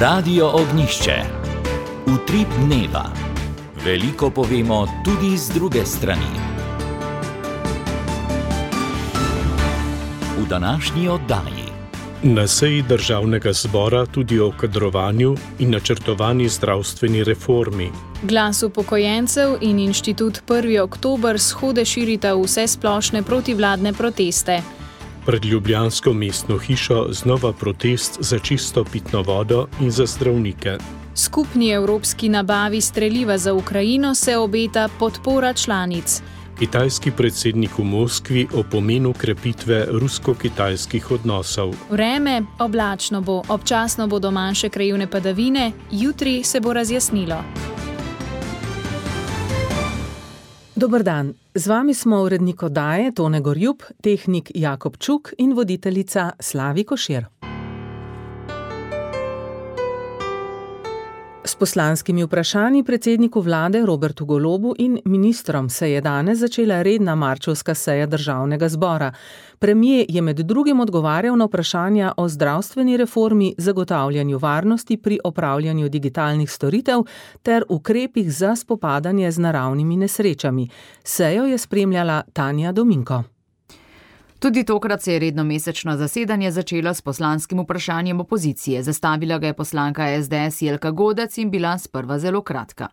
Radio Ognjišče. Utrip dneva. Veliko povemo tudi z druge strani. V današnji oddaji. Na seji Državnega zbora tudi o kadrovanju in načrtovani zdravstveni reformi. Glas upokojencev in inštitut 1. oktober shode širita vse splošne protivladne proteste. Pred ljubljansko mestno hišo znova protest za čisto pitno vodo in za zdravnike. Skupni evropski nabavi streliva za Ukrajino se obeta podpora članic. Kitajski predsednik v Moskvi o pomenu krepitve rusko-kitajskih odnosov. Vreme oblačno bo, občasno bodo manjše krajevne padavine, jutri se bo razjasnilo. Dober dan, z vami smo urednik oddaje Tone Gorjup, tehnik Jakob Čuk in voditeljica Slavi Košir. S poslanskimi vprašanji predsedniku vlade Robertu Golobu in ministrom se je danes začela redna marčevska seja Državnega zbora. Premier je med drugim odgovarjal na vprašanja o zdravstveni reformi, zagotavljanju varnosti pri opravljanju digitalnih storitev ter ukrepih za spopadanje z naravnimi nesrečami. Sejo je spremljala Tanja Dominko. Tudi tokrat se je redno mesečno zasedanje začelo s poslanskim vprašanjem opozicije. Zastavila ga je poslanka SDS Jelka Godec in bila sprva zelo kratka.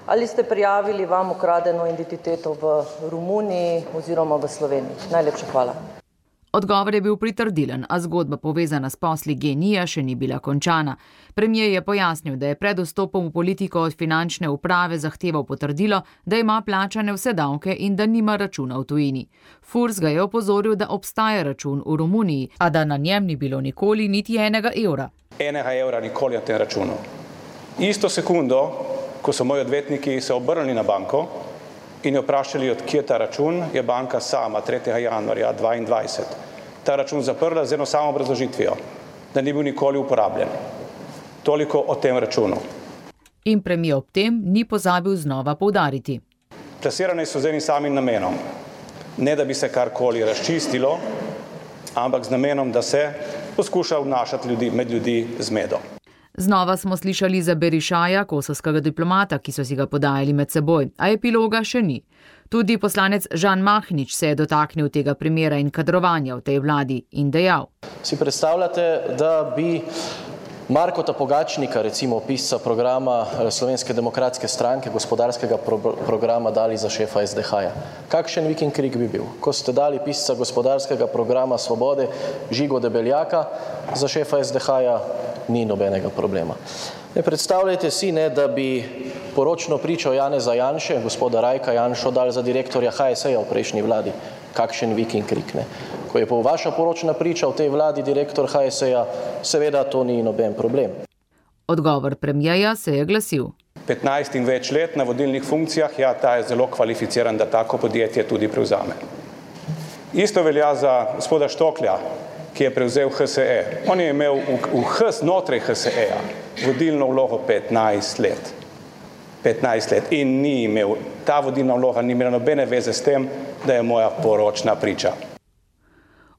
Ali ste prijavili vam ukradeno identiteto v Romuniji oziroma v Sloveniji? Najlepša hvala. Odgovor je bil pritrdilen, a zgodba povezana s posli GEN-I še ni bila končana. Premier je pojasnil, da je pred vstopom v politiko od finančne uprave zahteval potrdilo, da ima plačane vse davke in da nima računa v tujini. Furs ga je opozoril, da obstaja račun v Romuniji, a da na njem ni bilo nikoli niti enega evra. Enega evra nikoli na tem računu. Isto sekundo, ko so moji odvetniki se obrnili na banko in jo vprašali, od kje ta račun, je banka sama 3. januarja 2022 ta račun zaprla z eno samo obrazložitvijo, da ni bil nikoli uporabljen. Toliko o tem računu. In premier ob tem ni pozabil znova poudariti. Plasirane so z enim samim namenom. Ne da bi se karkoli razčistilo, ampak z namenom, da se poskuša vnašati med ljudi zmedo. Znova smo slišali za Berišaja, kosovskega diplomata, ki so si ga podajali med seboj, a epiloga še ni. Tudi poslanec Žan Mahnič se je dotaknil tega primera in kadrovanja v tej vladi in dejal. Si predstavljate, da bi Markota Pogačnika, recimo pisca programa Slovenske demokratske stranke, gospodarskega programa, dali za šefa SDH-ja? Kakšen vik in krik bi bil? Ko ste dali pisca gospodarskega programa Svobode Žigo Debeljaka za šefa SDH-ja, ni nobenega problema. Ne predstavljajte si, da bi poročno pričo Janeza Janše, gospoda Rajka Janšo, dali za direktorja HSE-ja v prejšnji vladi. Kakšen vik in krik, ne? Ko je pa vaša poročna priča v tej vladi direktor HSE-ja, seveda to ni noben problem. Odgovor premierja se je glasil. 15 in več let na vodilnih funkcijah, ja, ta je zelo kvalificiran, da tako podjetje tudi prevzame. Isto velja za gospoda Štoklja, ki je prevzel HSE. On je imel znotraj HSE-ja vodilno vlogo 15 let. 15 let. In ni imel, ta vodilna vloga ni imela nobene veze s tem, da je moja poročna priča.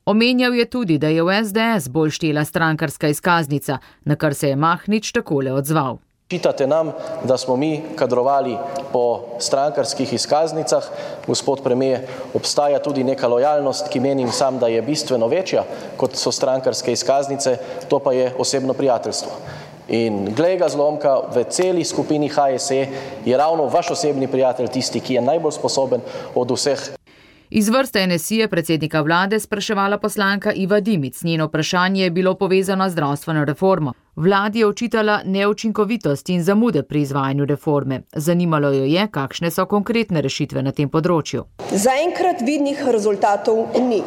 Omenjal je tudi, da je v SDS bolj štela strankarska izkaznica, na kar se je Mahnič takole odzval. Čitate nam, da smo mi kadrovali po strankarskih izkaznicah. Gospod premier, obstaja tudi neka lojalnost, ki menim sam, da je bistveno večja, kot so strankarske izkaznice, to pa je osebno prijateljstvo. In glej ga zlomka, v celi skupini HSE je ravno vaš osebni prijatelj tisti, ki je najbolj sposoben od vseh. Iz vrste NSI je predsednika vlade spraševala poslanka Iva Dimic. Njeno vprašanje je bilo povezano z zdravstveno reformo. Vladi je očitala neučinkovitost in zamude pri izvajanju reforme. Zanimalo jo je, kakšne so konkretne rešitve na tem področju. Zaenkrat vidnih rezultatov ni.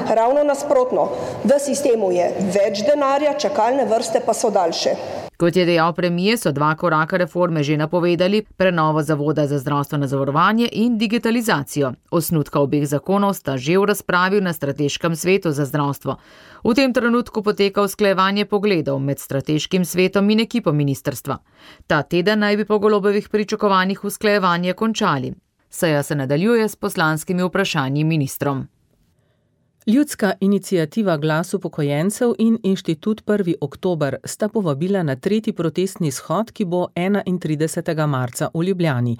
Ravno nasprotno, v sistemu je več denarja, čakalne vrste pa so daljše. Kot je dejal premier, so 2 koraka reforme že napovedali, prenovo Zavoda za zdravstveno zavarovanje in digitalizacijo. Osnutka obeh zakonov sta že v razpravi na strateškem svetu za zdravstvo. V tem trenutku poteka usklajevanje pogledov med strateškim svetom in ekipo ministrstva. Ta teden naj bi po Golobovih pričakovanjih usklajevanje končali. Seja se nadaljuje s poslanskimi vprašanji ministrom. Ljudska iniciativa Glas upokojencev in Inštitut 1. oktober sta povabila na 3. protestni shod, ki bo 31. marca v Ljubljani.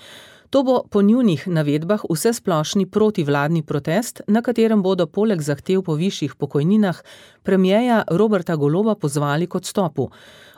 To bo po njunih navedbah vsesplošni protivladni protest, na katerem bodo poleg zahtev po višjih pokojninah premierja Roberta Goloba pozvali k odstopu.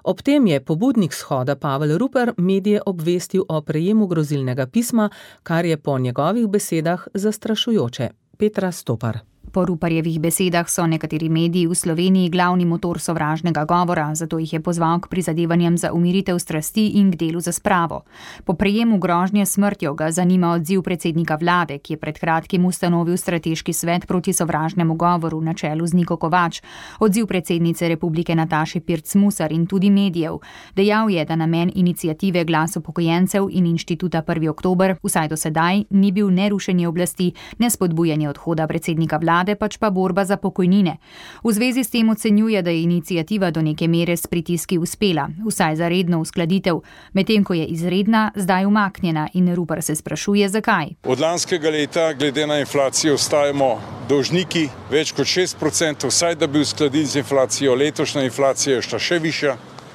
Ob tem je pobudnik shoda Pavel Rupar medije obvestil o prejemu grozilnega pisma, kar je po njegovih besedah zastrašujoče. Petra Stopar. Po Ruparjevih besedah so nekateri mediji v Sloveniji glavni motor sovražnega govora, zato jih je pozval k prizadevanjem za umiritev strasti in k delu za spravo. Po prejemu grožnje smrtjo ga zanima odziv predsednika vlade, ki je pred kratkim ustanovil strateški svet proti sovražnemu govoru na čelu z Niko Kovač, odziv predsednice Republike Nataše Pirc Musar in tudi medijev. Dejal je, da namen iniciative Glas upokojencev in Inštituta 1. oktober vsaj do sedaj ni bil ne rušenje oblasti, ne spodbujanje odhoda predsednika vlade, pač pa borba za pokojnine. V zvezi s tem ocenjuje, da je iniciativa do neke mere s pritiski uspela, vsaj za redno uskladitev, medtem ko je izredna zdaj umaknjena in Rupar se sprašuje, zakaj. Od lanskega leta, glede na inflacijo, ostajamo dolžniki več kot 6%, vsaj da bi uskladili z inflacijo. Letošnja inflacija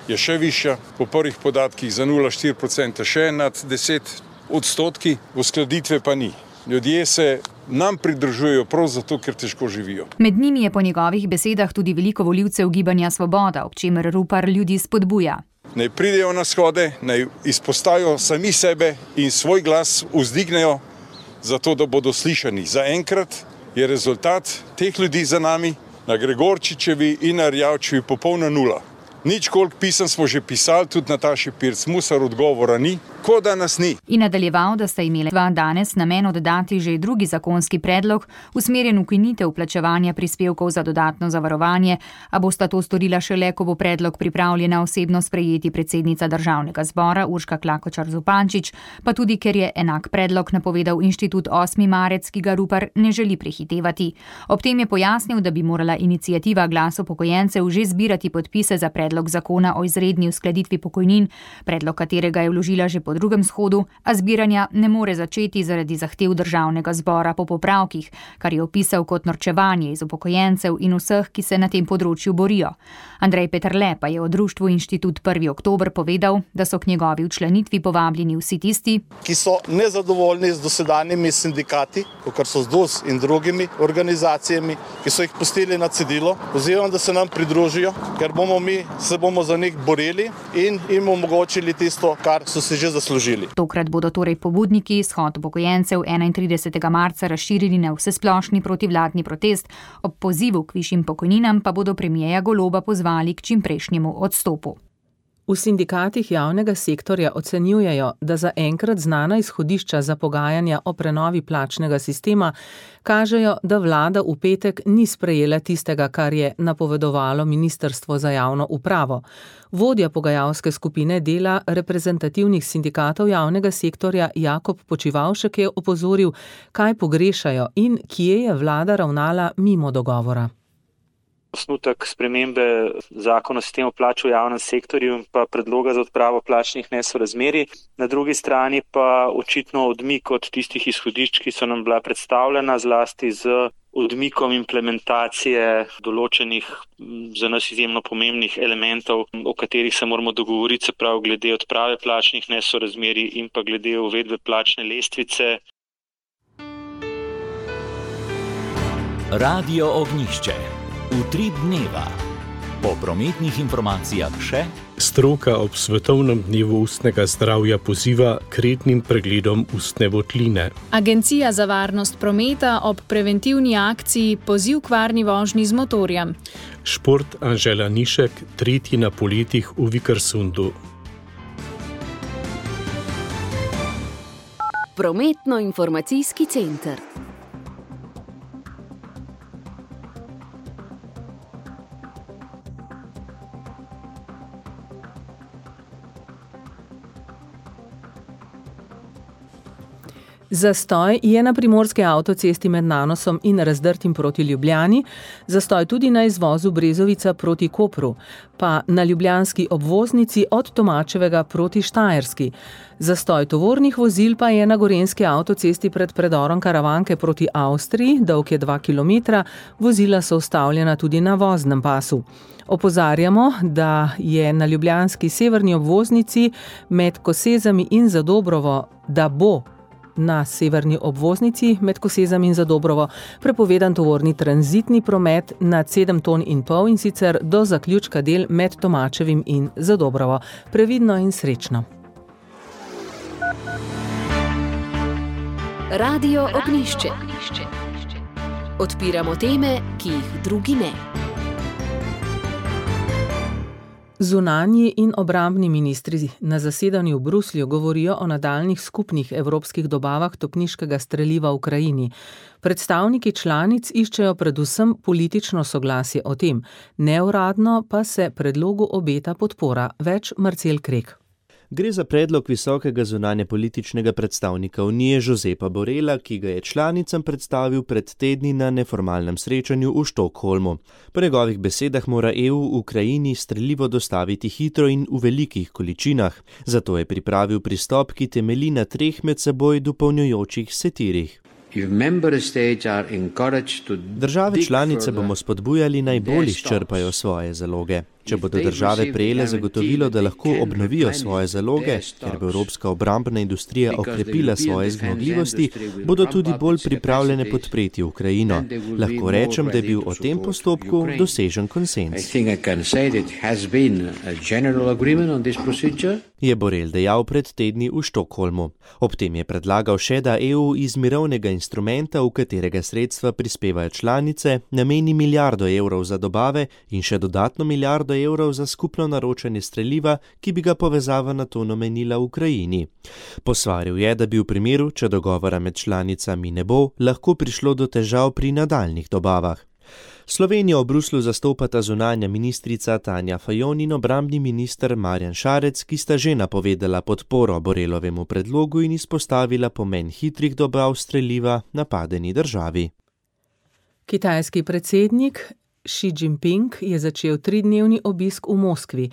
je še višja, po prvih podatkih za 0,4% še nad 10%, uskladitve pa ni. Ljudje se nam pridružujejo prav zato, ker težko živijo. Med njimi je po njegovih besedah tudi veliko volivcev Gibanja Svoboda, ob čemer Rupar ljudi spodbuja. Naj pridejo na shode, naj izpostavijo sami sebe in svoj glas vzdignejo, zato da bodo slišani. Zaenkrat je rezultat teh ljudi za nami, na Gregorčičevi in na Erjavčevi popolna nula. Nič koliko pisem smo že pisali, tudi Nataši Pirc Musar, odgovora ni, kot da nas ni. In nadaljeval, da sta imeli danes namen oddati že drugi zakonski predlog, usmerjen v ukinitev plačevanja prispevkov za dodatno zavarovanje, a bosta to storila šele, ko bo predlog pripravljena osebno sprejeti predsednica Državnega zbora Urška Klakočar Zupančič, pa tudi ker je enak predlog napovedal Inštitut 8. marec, ki ga Rupar ne želi prehitevati. Ob tem je pojasnil, da bi morala iniciativa Glas upokojencev že zbirati podpise za predlog zakona o izredni uskladitvi pokojnin, predlog katerega je vložila že po drugem shodu, a zbiranja ne more začeti zaradi zahtev Državnega zbora po popravkih, kar je opisal kot norčevanje iz upokojencev in vseh, ki se na tem področju borijo. Andrej Peterle pa je o društvu Inštitut 1. oktober povedal, da so k njegovi včlanitvi povabljeni vsi tisti, ki so nezadovoljni z dosedanjimi sindikati, kot so ZDUS in drugimi organizacijami, ki so jih pustili na cedilu, pozivam, da se nam pridružijo, ker se bomo za njih borili in jim omogočili tisto, kar so si že zaslužili. Tokrat bodo torej pobudniki shod upokojencev 31. marca razširili na vsesplošni protivladni protest, ob pozivu k višjim pokojninam pa bodo premierja Goloba pozvali k čimprejšnjemu odstopu. V sindikatih javnega sektorja ocenjujejo, da za enkrat znana izhodišča za pogajanja o prenovi plačnega sistema kažejo, da vlada v petek ni sprejela tistega, kar je napovedovalo Ministrstvo za javno upravo. Vodja pogajalske skupine dela reprezentativnih sindikatov javnega sektorja Jakob Počivavšek je opozoril, kaj pogrešajo in kje je vlada ravnala mimo dogovora. Osnutek spremembe zakona o sistemu plač v javnem sektorju in pa predloga za odpravo plačnih nesorazmerij. Na drugi strani pa očitno odmik od tistih izhodišč, ki so nam bila predstavljena, zlasti z odmikom implementacije določenih za nas izjemno pomembnih elementov, o katerih se moramo dogovoriti, se pravi glede odprave plačnih nesorazmerij in pa glede uvedbe plačne lestvice. Radio Ognjišče. Utrip dneva. Po prometnih informacijah še. Stroka ob Svetovnem dnevu ustnega zdravja poziva k rednim pregledom ustne votline. Agencija za varnost prometa ob preventivni akciji poziv k varni vožnji z motorjem. Šport Anžela Nišek, tretji na poletih v Vikersundu. Prometno-informacijski center. Zastoj je na primorski avtocesti med Nanosom in Razdrtim proti Ljubljani, zastoj tudi na izvozu Brezovica proti Kopru, pa na ljubljanski obvoznici od Tomačevega proti Štajerski. Zastoj tovornih vozil pa je na gorenjski avtocesti pred predorom Karavanke proti Avstriji, dolg je 2 km, vozila so ustavljena tudi na voznem pasu. Opozarjamo, da je na ljubljanski severni obvoznici med Kosezami in Zadobrovo, da bo na severni obvoznici med Kosezami in Zadobrovo prepovedan tovorni tranzitni promet nad 7,5 ton in sicer do zaključka del med Tomačevim in Zadobrovo. Previdno in srečno. Radio Ognjišče. Odpiramo teme, ki jih drugi ne. Zunanji in obrambni ministri na zasedanju v Bruslju govorijo o nadaljnjih skupnih evropskih dobavah topniškega streliva v Ukrajini. Predstavniki članic iščejo predvsem politično soglasje o tem, neuradno pa se predlogu obeta podpora. Več Marcel Krek. Gre za predlog visokega zunanjepolitičnega predstavnika Unije Josepa Borrella, ki ga je članicam predstavil pred tedni na neformalnem srečanju v Štokholmu. Po njegovih besedah mora EU Ukrajini strelivo dostaviti hitro in v velikih količinah. Zato je pripravil pristop, ki temelji na 3 med seboj dopolnjujočih se tirih. Države članice bomo spodbujali naj bolj izčrpajo svoje zaloge. Če bodo države prejele zagotovilo, da lahko obnovijo svoje zaloge, ker bo evropska obrambna industrija okrepila svoje zmogljivosti, bodo tudi bolj pripravljene podpreti Ukrajino. Lahko rečem, da je bil o tem postopku dosežen konsenz. Je Borrell dejal pred tedni v Štokholmu. Ob tem je predlagal še, da EU iz mirovnega instrumenta, v katerega sredstva prispevajo članice, nameni €1 milijardo za dobave in še dodatno €1 milijardo za skupno naročanje streliva, ki bi ga povezava NATO namenila Ukrajini. Posvaril je, da bi v primeru, če dogovora med članicami ne bo, lahko prišlo do težav pri nadaljnih dobavah. Slovenijo v Bruslju zastopata zunanja ministrica Tanja Fajon in obrambni minister Marjan Šarec, ki sta že napovedala podporo Borrelovemu predlogu in izpostavila pomen hitrih dobav streliva napadeni državi. Kitajski predsednik Xi Jinping je začel 3-dnevni obisk v Moskvi.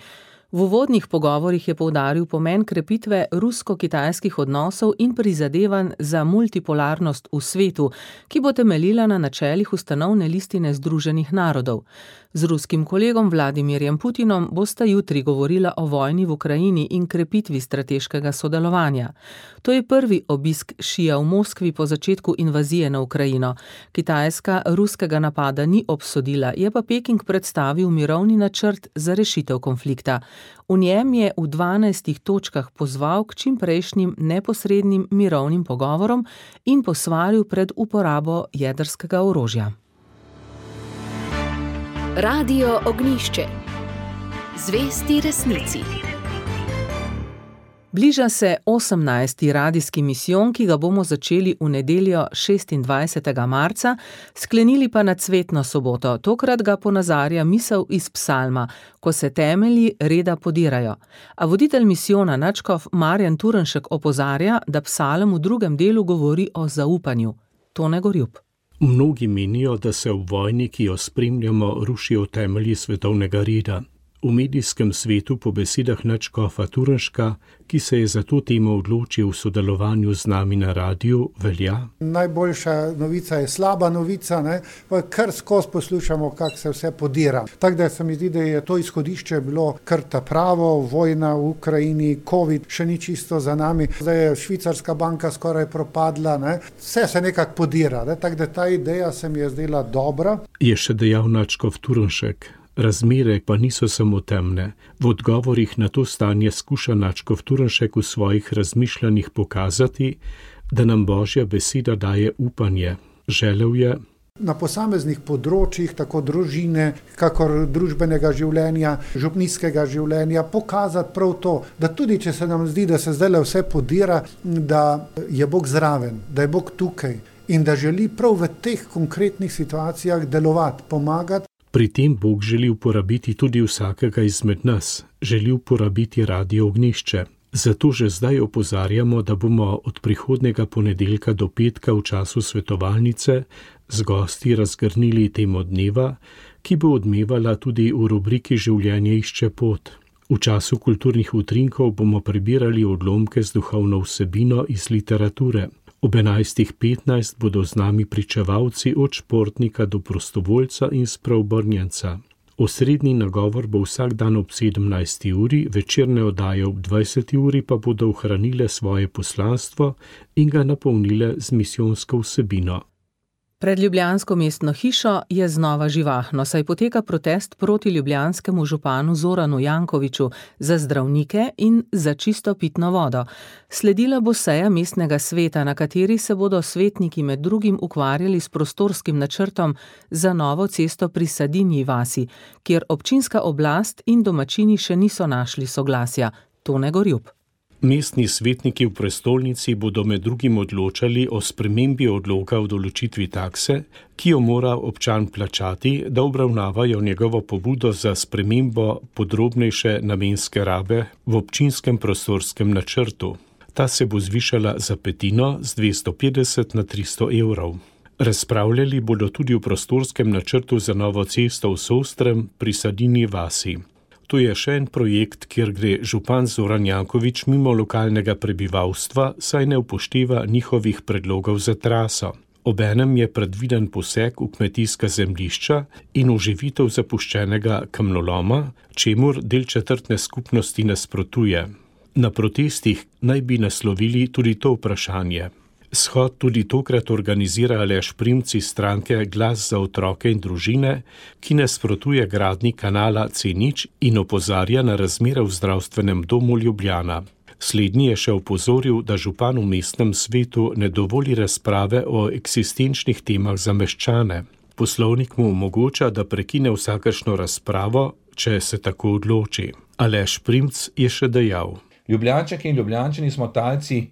V uvodnih pogovorih je poudaril pomen krepitve rusko-kitajskih odnosov in prizadevanj za multipolarnost v svetu, ki bo temeljila na načelih ustanovne listine Združenih narodov. Z ruskim kolegom Vladimirjem Putinom bosta jutri govorila o vojni v Ukrajini in krepitvi strateškega sodelovanja. To je prvi obisk Šija v Moskvi po začetku invazije na Ukrajino. Kitajska ruskega napada ni obsodila, je pa Peking predstavil mirovni načrt za rešitev konflikta. V njem je v 12 točkah pozval k čimprejšnjim neposrednim mirovnim pogovorom in posvaril pred uporabo jedrskega orožja. Radio Ognjišče. Zvesti resnici. Bliža se 18. radijski misijon, ki ga bomo začeli v nedeljo 26. marca, sklenili pa na cvetno soboto. Tokrat ga ponazarja misel iz psalma, ko se temelji reda podirajo. A voditelj misijona nadškof Marjan Turnšek opozarja, da psalm v drugem delu govori o zaupanju. Tone Gorjup. Mnogi menijo, da se v vojni, ki jo spremljamo, rušijo temelji svetovnega reda. V medijskem svetu po besedah nadškofa Turnška, ki se je za to temo odločil v sodelovanju z nami na radiju, velja. Najboljša novica je slaba novica, ne? Pa kar skozi poslušamo, kako se vse podira. Tako da se mi zdi, da je to izhodišče bilo kar ta pravo, vojna v Ukrajini, COVID še ni čisto za nami, zdaj je švicarska banka skoraj propadla, ne? Vse se nekako podira, ne? Tako da ta ideja se mi je zdela dobra. Je še dejal nadškof Turnšek. Razmere pa niso samo temne. V odgovorih na to stanje skuša nadškof Turnšek v svojih razmišljanjih pokazati, da nam Božja beseda daje upanje. Želel je na posameznih področjih, tako družine, kakor družbenega življenja, župnijskega življenja, pokazati prav to, da tudi če se nam zdi, da se zdaj vse podira, da je Bog zraven, da je Bog tukaj in da želi prav v teh konkretnih situacijah delovati, pomagati. Pri tem Bog želi uporabiti tudi vsakega izmed nas, želi uporabiti Radio Ognjišče. Zato že zdaj opozarjamo, da bomo od prihodnega ponedeljka do petka v času svetovalnice z gosti razgrnili temo dneva, ki bo odmevala tudi v rubriki Življenje išče pot. V času kulturnih utrinkov bomo prebirali odlomke z duhovno vsebino iz literature. Ob 11.15 bodo z nami pričevalci od športnika do prostovoljca in spreobrnjenca. Osrednji nagovor bo vsak dan ob 17. uri, večerne oddaje ob 20. uri pa bodo ohranile svoje poslanstvo in ga napolnile z misijonsko vsebino. Pred ljubljansko mestno hišo je znova živahno, saj poteka protest proti ljubljanskemu županu Zoranu Jankoviću za zdravnike in za čisto pitno vodo. Sledila bo seja mestnega sveta, na kateri se bodo svetniki med drugim ukvarjali s prostorskim načrtom za novo cesto pri Sadinji vasi, kjer občinska oblast in domačini še niso našli soglasja. Tone Gorjup. Mestni svetniki v prestolnici bodo med drugim odločali o spremembi odloka o določitvi takse, ki jo mora občan plačati, da obravnavajo njegovo pobudo za spremembo podrobnejše namenske rabe v občinskem prostorskem načrtu. Ta se bo zvišala za petino z 250 na 300 evrov. Razpravljali bodo tudi o prostorskem načrtu za novo cesto v Sostrem pri Sadinji vasi. To je še en projekt, kjer gre župan Zoran Janković mimo lokalnega prebivalstva, saj ne upošteva njihovih predlogov za traso. Obenem je predviden poseg v kmetijska zemljišča in oživitev zapuščenega kamnoloma, čemur del četrtne skupnosti nasprotuje. Na protestih naj bi naslovili tudi to vprašanje. Shod tudi tokrat organizira Aleš Primc iz stranke Glas za otroke in družine, ki nasprotuje gradnji kanala C0 in opozarja na razmere v zdravstvenem domu Ljubljana. Slednji je še opozoril, da župan v mestnem svetu ne dovoli razprave o eksistenčnih temah za meščane. Poslovnik mu omogoča, da prekine vsakršno razpravo, če se tako odloči. Aleš Primc je še dejal: Ljubljančanke in Ljubljančani smo talci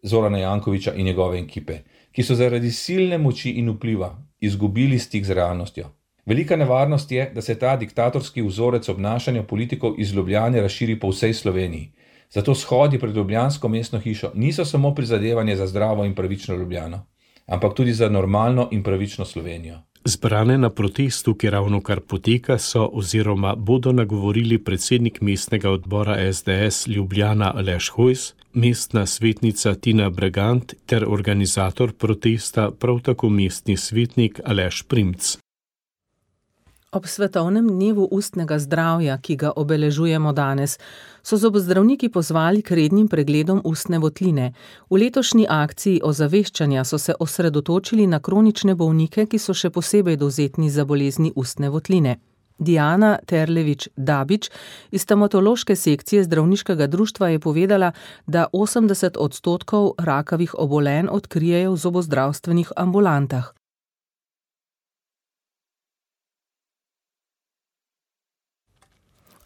Zorana Jankovića in njegove ekipe, ki so zaradi silne moči in vpliva izgubili stik z realnostjo. Velika nevarnost je, da se ta diktatorski vzorec obnašanja politikov iz Ljubljane razširi po vsej Sloveniji. Zato shodi pred ljubljansko mestno hišo niso samo prizadevanje za zdravo in pravično Ljubljano, ampak tudi za normalno in pravično Slovenijo. Zbrane na protestu, ki ravnokar poteka, so oziroma bodo nagovorili predsednik mestnega odbora SDS Ljubljana Aleš Hojs, mestna svetnica Tina Bregant ter organizator protesta prav tako mestni svetnik Aleš Primc. Ob svetovnem dnevu ustnega zdravja, ki ga obeležujemo danes, so zobozdravniki pozvali k rednim pregledom ustne votline. V letošnji akciji ozaveščanja so se osredotočili na kronične bolnike, ki so še posebej dovzetni za bolezni ustne votline. Diana Terlevič-Dabič iz stomatološke sekcije zdravniškega društva je povedala, da 80% rakavih obolenj odkrijejo v zobozdravstvenih ambulantah.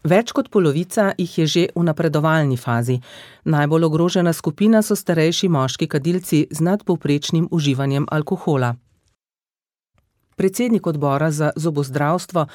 Več kot polovica jih je že v napredovalni fazi. Najbolj ogrožena skupina so starejši moški kadilci z nadpovprečnim uživanjem alkohola. Predsednik odbora za zobozdravstvo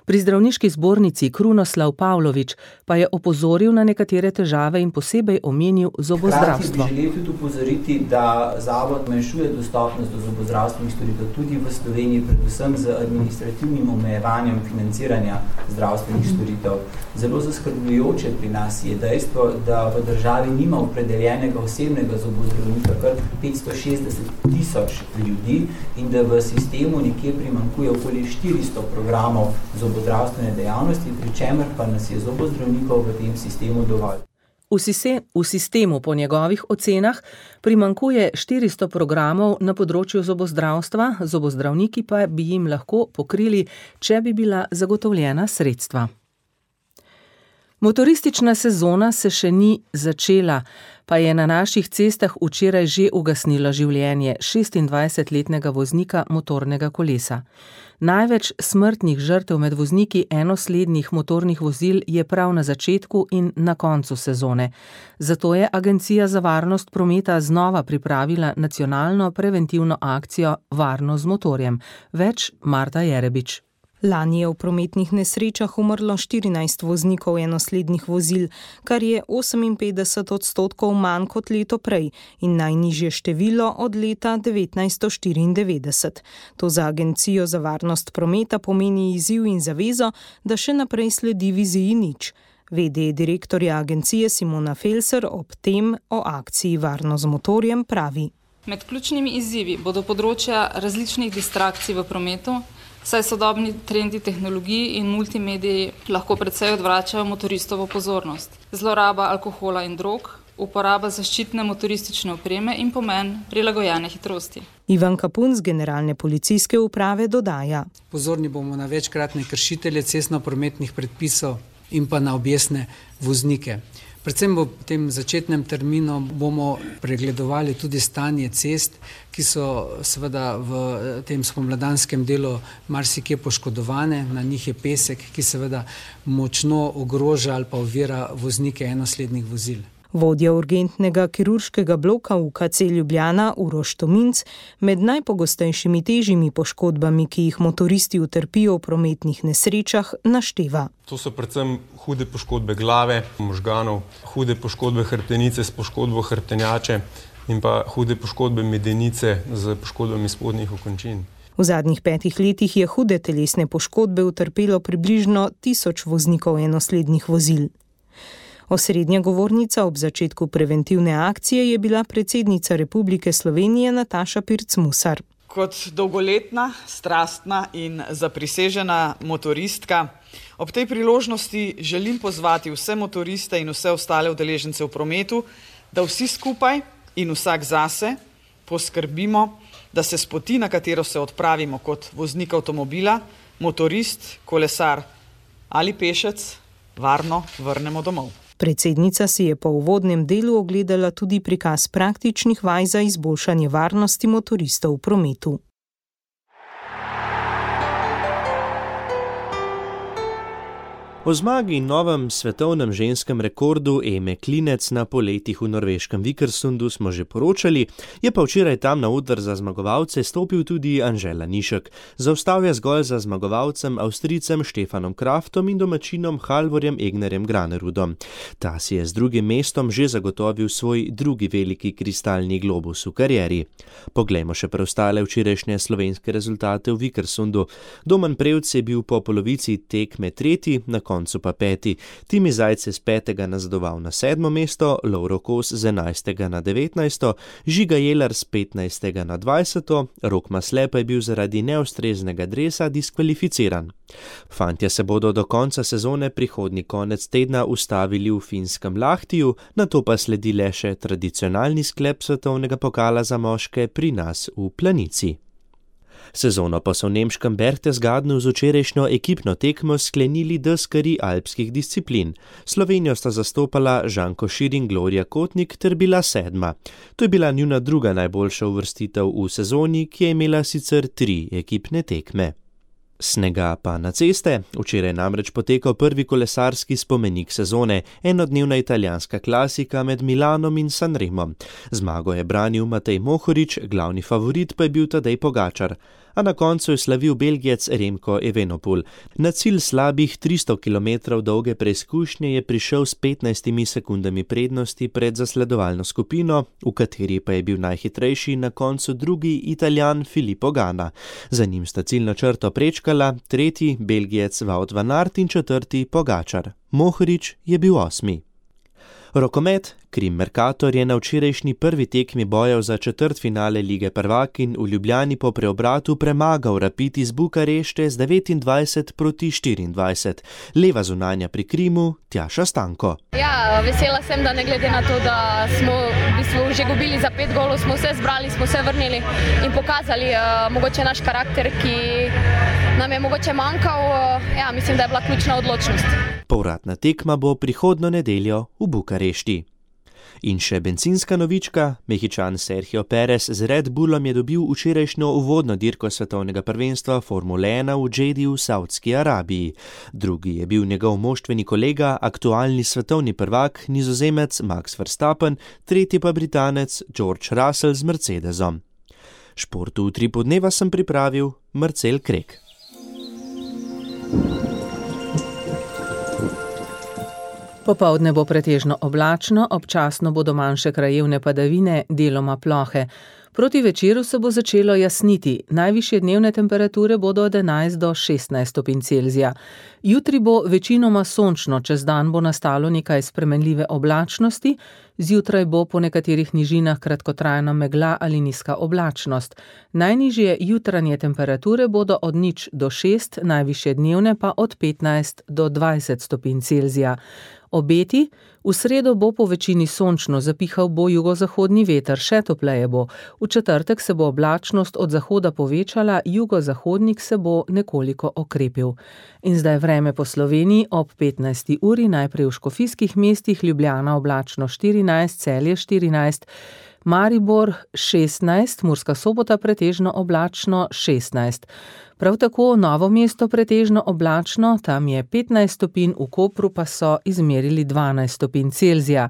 pri zdravniški zbornici Krunoslav Pavlović pa je opozoril na nekatere težave in posebej omenil zobozdravstvo. Hkrati bi želel tudi opozoriti, da zavod zmanjšuje dostopnost do zobozdravstvenih storitev tudi v Sloveniji, predvsem z administrativnim omejevanjem financiranja zdravstvenih storitev. Zelo zaskrbljujoče pri nas je dejstvo, da v državi nima opredeljenega osebnega zobozdravnika kar 560.000 ljudi in da v sistemu nekje primanjkuje okoli 400 programov zobozdravstvene dejavnosti, pri čemer pa nas je zobozdravnikov v tem sistemu dovolj. V sistemu po njegovih ocenah primanjkuje 400 programov na področju zobozdravstva, zobozdravniki pa bi jim lahko pokrili, če bi bila zagotovljena sredstva. Motoristična sezona se še ni začela, pa je na naših cestah včeraj že ugasnilo življenje 26-letnega voznika motornega kolesa. Največ smrtnih žrtev med vozniki enoslednih motornih vozil je prav na začetku in na koncu sezone. Zato je Agencija za varnost prometa znova pripravila nacionalno preventivno akcijo Varno z motorjem. Več Marta Jerebič. Lani je v prometnih nesrečah umrlo 14 voznikov enoslednih vozil, kar je 58% manj kot leto prej in najnižje število od leta 1994. To za Agencijo za varnost prometa pomeni izziv in zavezo, da še naprej sledi viziji nič. VD direktorja agencije Simona Felser ob tem o akciji Varno z motorjem pravi. Med ključnimi izzivi bodo področja različnih distrakcij v prometu, saj sodobni trendi tehnologij in multimediji lahko precej odvračajo motoristovo pozornost. Zloraba alkohola in drog, uporaba zaščitne motoristične opreme in pomen prilagojene hitrosti. Ivan Kapun z Generalne policijske uprave dodaja. Pozorni bomo na večkratne kršitelje cestno-prometnih predpisov in pa na objestne voznike. Predvsem v tem začetnem terminu bomo pregledovali tudi stanje cest, ki so seveda v tem spomladanskem delu marsikje poškodovane, na njih je pesek, ki seveda močno ogroža ali pa ovira voznike enoslednih vozil. Vodja urgentnega kirurškega bloka UKC Ljubljana Uroš Tominc med najpogostejšimi težjimi poškodbami, ki jih motoristi utrpijo v prometnih nesrečah, našteva. To so predvsem hude poškodbe glave, možganov, hude poškodbe hrbtenice s poškodbo hrbtenjače in pa hude poškodbe medenice z poškodbami spodnjih okončin. V zadnjih 5 letih je hude telesne poškodbe utrpelo približno 1000 voznikov enoslednih vozil. Osrednja govornica ob začetku preventivne akcije je bila predsednica Republike Slovenije Nataša Pirc Musar. Kot dolgoletna, strastna in zaprisežena motoristka, ob tej priložnosti želim pozvati vse motoriste in vse ostale udeležence v prometu, da vsi skupaj in vsak zase poskrbimo, da se s poti, na katero se odpravimo kot voznik avtomobila, motorist, kolesar ali pešec, varno vrnemo domov. Predsednica si je po uvodnem delu ogledala tudi prikaz praktičnih vaj za izboljšanje varnosti motoristov v prometu. O zmagi in novem svetovnem ženskem rekordu Eme Klinec na poletih v norveškem Vikersundu smo že poročali, je pa včeraj tam na oder za zmagovalce stopil tudi Anžela Nišek. Zaostal je zgolj za zmagovalcem Avstrijcem Štefanom Kraftom in domačinom Halvorjem Egnerjem Granerudom. Ta si je z drugim mestom že zagotovil svoj drugi veliki kristalni globus v karieri. Poglejmo še preostale včerajšnje slovenske rezultate v Vikersundu. Domen Prevc je bil po polovici tekme tretji, na koncu pa 5. Timi Zajc je z 5. nazadoval na 7. mesto, Lovro Kos z 11. na 19. Žiga Jelar z 15. na 20. Rok Masle pa je bil zaradi neustreznega dresa diskvalificiran. Fantje se bodo do konca sezone prihodnji konec tedna ustavili v finskem Lahtiju, nato pa sledi le še tradicionalni sklep svetovnega pokala za moške pri nas v Planici. Sezono pa so v nemškem Berchtesgadenu z včerajšnjo ekipno tekmo sklenili deskarji alpskih disciplin. Slovenijo sta zastopala Žan Košir in Gloria Kotnik ter bila 7. To je bila njuna druga najboljša uvrstitev v sezoni, ki je imela sicer 3 ekipne tekme. Snega pa na ceste, včeraj namreč potekal prvi kolesarski spomenik sezone, enodnevna italijanska klasika med Milanom in Sanremom. Zmago je branil Matej Mohorič, glavni favorit pa je bil Tadej Pogačar, a na koncu je slavil Belgijec Remko Evenepoel. Na cilj slabih 300 km dolge preizkušnje je prišel s 15 sekundami prednosti pred zasledovalno skupino, v kateri pa je bil najhitrejši na koncu drugi Italijan Filippo Ganna. Za njim sta ciljno črto prečkala tretji Belgijec Wout van Aert in četrti Pogačar. Mohorič je bil 8. Rokomet, Krim Mercator je na včerajšnji prvi tekmi bojev za četrtfinale Lige prvakinj v Ljubljani po preobratu premagal Rapid iz Bukarešte z 29-24. Leva zunanja pri Krimu, Tjaša Stanko. Ja, vesela sem, da ne glede na to, da smo v bistvu že gubili za 5 golov, smo se zbrali, smo se vrnili in pokazali mogoče naš karakter, ki nam je mogoče manjkal. Ja, mislim, da je bila ključna odločnost. Povratna tekma bo prihodnjo nedeljo v Bukarešti. In še bencinska novička, Mehičan Sergio Perez z Red Bullom je dobil včerajšnjo uvodno dirko svetovnega prvenstva Formule 1 v Džedi v Saudski Arabiji. Drugi je bil njegov moštveni kolega, aktualni svetovni prvak, Nizozemec Max Verstappen, tretji pa Britanec George Russell z Mercedesom. Športu v Utripu dneva sem pripravil Marcel Krek. Popoldne bo pretežno oblačno, občasno bodo manjše krajevne padavine, deloma plohe. Proti večeru se bo začelo jasniti, najvišje dnevne temperature bodo od 11 do 16 stopinj Celzija. Jutri bo večinoma sončno, čez dan bo nastalo nekaj spremenljive oblačnosti, zjutraj bo po nekaterih nižinah kratkotrajna megla ali nizka oblačnost. Najnižje jutranje temperature bodo od 0 do 6, najvišje dnevne pa od 15 do 20 stopinj Celzija. Obeti: v sredo bo po večini sončno, zapihal bo jugozahodni veter, še topleje bo. V četrtek se bo oblačnost od zahoda povečala, jugozahodnik se bo nekoliko okrepil. In zdaj vreme po Sloveniji ob 15. uri, najprej v škofijskih mestih, Ljubljana oblačno 14, Celje 14, Maribor 16, Murska Sobota pretežno oblačno 16. Prav tako Novo mesto pretežno oblačno, tam je 15 stopinj, v Kopru pa so izmerili 12 stopinj Celzija.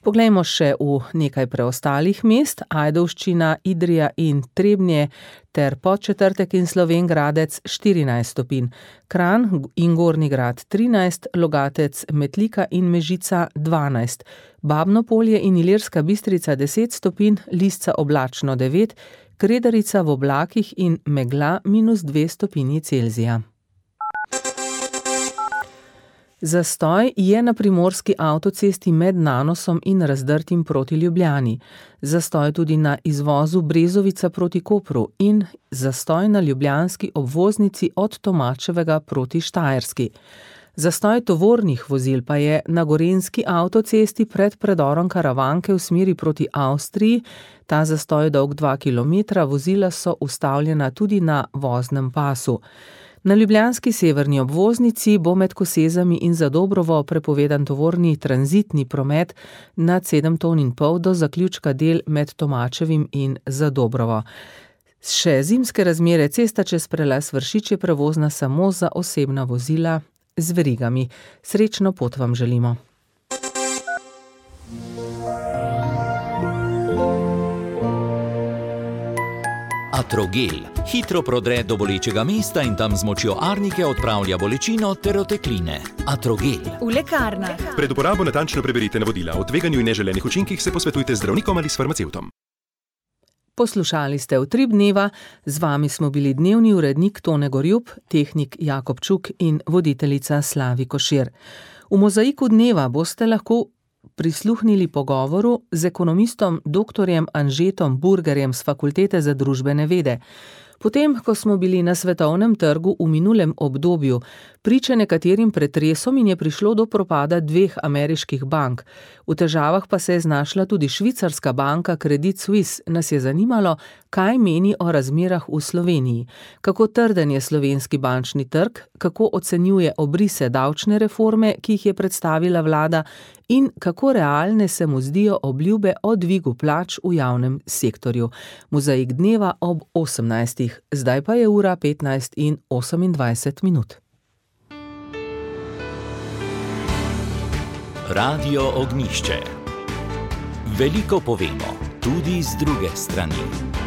Poglejmo še v nekaj preostalih mest: Ajdovščina, Idrija in Trebnje ter Podčetrtek in Slovenj Gradec 14 stopinj, Kranj in Gornji Grad 13, Logatec, Metlika in Mežica 12, Babno Polje in Ilirska Bistrica 10 stopinj, Lisca oblačno 9, Kredarica v oblakih in megla -2 stopinji Celzija. Zastoj je na primorski avtocesti med Nanosom in Razdrtim proti Ljubljani. Zastoj tudi na izvozu Brezovica proti Kopru in zastoj na ljubljanski obvoznici od Tomačevega proti Štajerski. Zastoj tovornih vozil pa je na gorenjski avtocesti pred predorom Karavanke v smeri proti Avstriji. Ta zastoj je dolg 2 km, vozila so ustavljena tudi na voznem pasu. Na ljubljanski severni obvoznici bo med Kosezami in Zadobrovo prepovedan tovorni tranzitni promet nad 7,5 ton do zaključka del med Tomačevim in Zadobrovo. Še zimske razmere: cesta čez prelaz Vršič je prevozna samo za osebna vozila z verigami. Srečno pot vam želimo. Atrogel hitro prodre do bolečega mesta in tam z močjo arnike odpravlja bolečino ter otekline. Atrogel. V lekarnah. Pred uporabo natančno preberite navodila. O tveganju in neželenih učinkih se posvetujte z zdravnikom ali s farmacevtom. Poslušali ste Utrip dneva, z vami smo bili dnevni urednik Tone Gorjup, tehnik Jakob Čuk in voditeljica Slavi Košir. V Mozaiku dneva boste lahko prisluhnili pogovoru z ekonomistom dr. Anžetom Burgerjem z Fakultete za družbene vede. Potem, ko smo bili na svetovnem trgu v minulem obdobju priče nekaterim pretresom in je prišlo do propada 2 ameriških bank, v težavah pa se je znašla tudi švicarska banka Credit Suisse, nas je zanimalo, kaj meni o razmerah v Sloveniji, kako trden je slovenski bančni trg, kako ocenjuje obrise davčne reforme, ki jih je predstavila vlada, in kako realne se mu zdijo obljube o dvigu plač v javnem sektorju. Mozaik dneva ob 18. Zdaj pa je ura 15:28. Radio Ognjišče. Veliko povemo, tudi z druge strani.